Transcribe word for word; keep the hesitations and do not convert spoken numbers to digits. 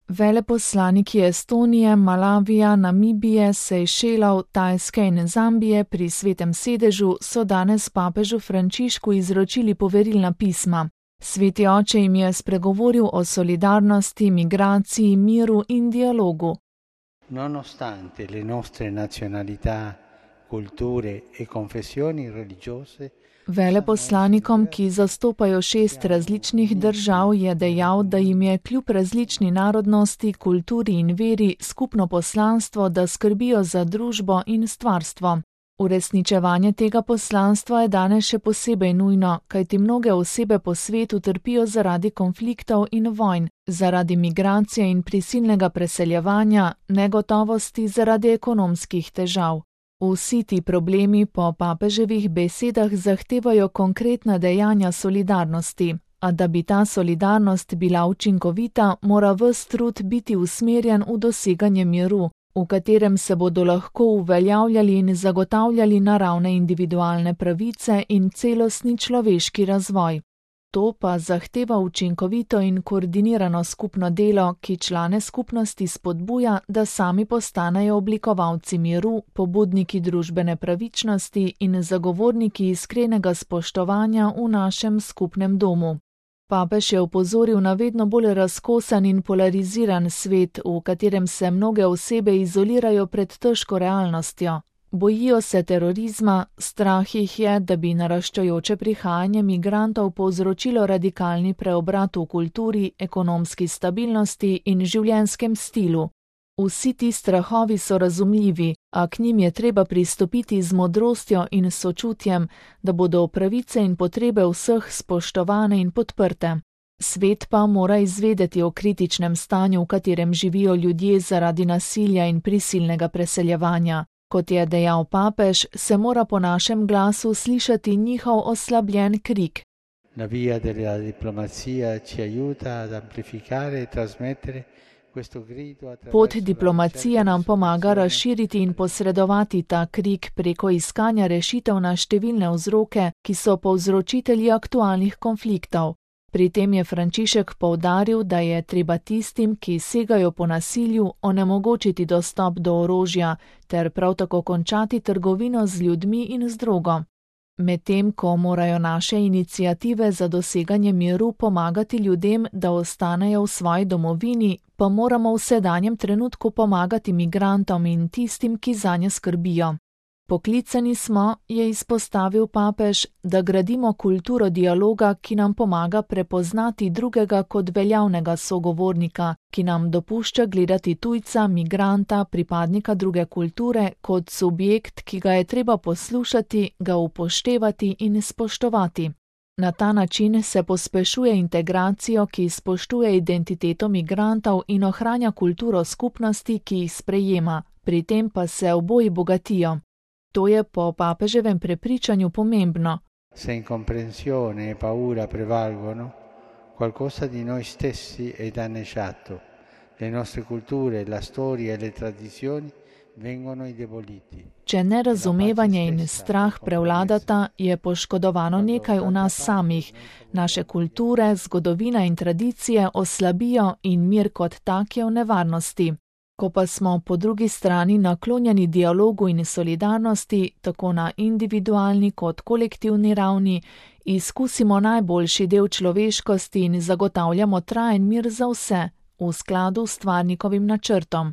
Veleposlaniki Estonije, Malavija, Namibije, Sejšelov, Tajske in Zambije pri Svetem sedežu so danes papežu Frančišku izročili poverilna pisma. Sveti oče jim je spregovoril o solidarnosti, migraciji, miru in dialogu. Nonostante le nostre nazionalità, culture e confessioni religiose, Veleposlanikom, ki zastopajo šest različnih držav, je dejal, da jim je kljub različni narodnosti, kulturi in veri skupno poslanstvo, da skrbijo za družbo in stvarstvo. Uresničevanje tega poslanstva je danes še posebej nujno, kajti mnoge osebe po svetu trpijo zaradi konfliktov in vojn, zaradi migracije in prisilnega preseljevanja, negotovosti zaradi ekonomskih težav. Vsi ti problemi po papeževih besedah zahtevajo konkretna dejanja solidarnosti, a da bi ta solidarnost bila učinkovita, mora ves trud biti usmerjen v doseganje miru, v katerem se bodo lahko uveljavljali in zagotavljali naravne individualne pravice in celostni človeški razvoj. To pa zahteva učinkovito in koordinirano skupno delo, ki člane skupnosti spodbuja, da sami postanejo oblikovalci miru, pobudniki družbene pravičnosti in zagovorniki iskrenega spoštovanja v našem skupnem domu. Papež je opozoril na vedno bolj razkosan in polariziran svet, v katerem se mnoge osebe izolirajo pred težko realnostjo. Bojijo se terorizma, strah jih je, da bi naraščajoče prihajanje migrantov povzročilo radikalni preobrat v kulturi, ekonomski stabilnosti in življenjskem stilu. Vsi ti strahovi so razumljivi, a k njim je treba pristopiti z modrostjo in sočutjem, da bodo pravice in potrebe vseh spoštovane in podprte. Svet pa mora izvedeti o kritičnem stanju, v katerem živijo ljudje zaradi nasilja in prisilnega preseljevanja. Kot je dejal papež, se mora po našem glasu slišati njihov oslabljen krik. La via della diplomazia ci aiuta ad amplificare e trasmettere questo grido attraverso. Pot diplomacije nam pomaga razširiti in posredovati ta krik preko iskanja rešitev na številne vzroke, ki so povzročitelji aktualnih konfliktov. Pri tem je Frančišek poudaril, da je treba tistim, ki segajo po nasilju, onemogočiti dostop do orožja ter prav tako končati trgovino z ljudmi in z drogo. Medtem ko morajo naše iniciative za doseganje miru pomagati ljudem, da ostanejo v svoji domovini, pa moramo v sedanjem trenutku pomagati migrantom in tistim, ki zanje skrbijo. Poklicani smo, je izpostavil papež, da gradimo kulturo dialoga, ki nam pomaga prepoznati drugega kot veljavnega sogovornika, ki nam dopušča gledati tujca, migranta, pripadnika druge kulture kot subjekt, ki ga je treba poslušati, ga upoštevati in spoštovati. Na ta način se pospešuje integracijo, ki spoštuje identiteto migrantov in ohranja kulturo skupnosti, ki jih sprejema, pri tem pa se oboji bogatijo. To je po papeževem prepričanju pomembno. Se incomprensione e paura prevalgono, qualcosa di noi stessi è danneggiato. Le nostre culture, la storia e le tradizioni vengono indeboliti. Če nerazumevanje in strah prevladata, je poškodovano nekaj v nas samih. Naše kulture, zgodovina in tradicije oslabijo in mir kot tak je v nevarnosti. Ko pa smo po drugi strani naklonjeni dialogu in solidarnosti, tako na individualni kot kolektivni ravni, izkusimo najboljši del človeškosti in zagotavljamo trajen mir za vse, v skladu s stvarnikovim načrtom.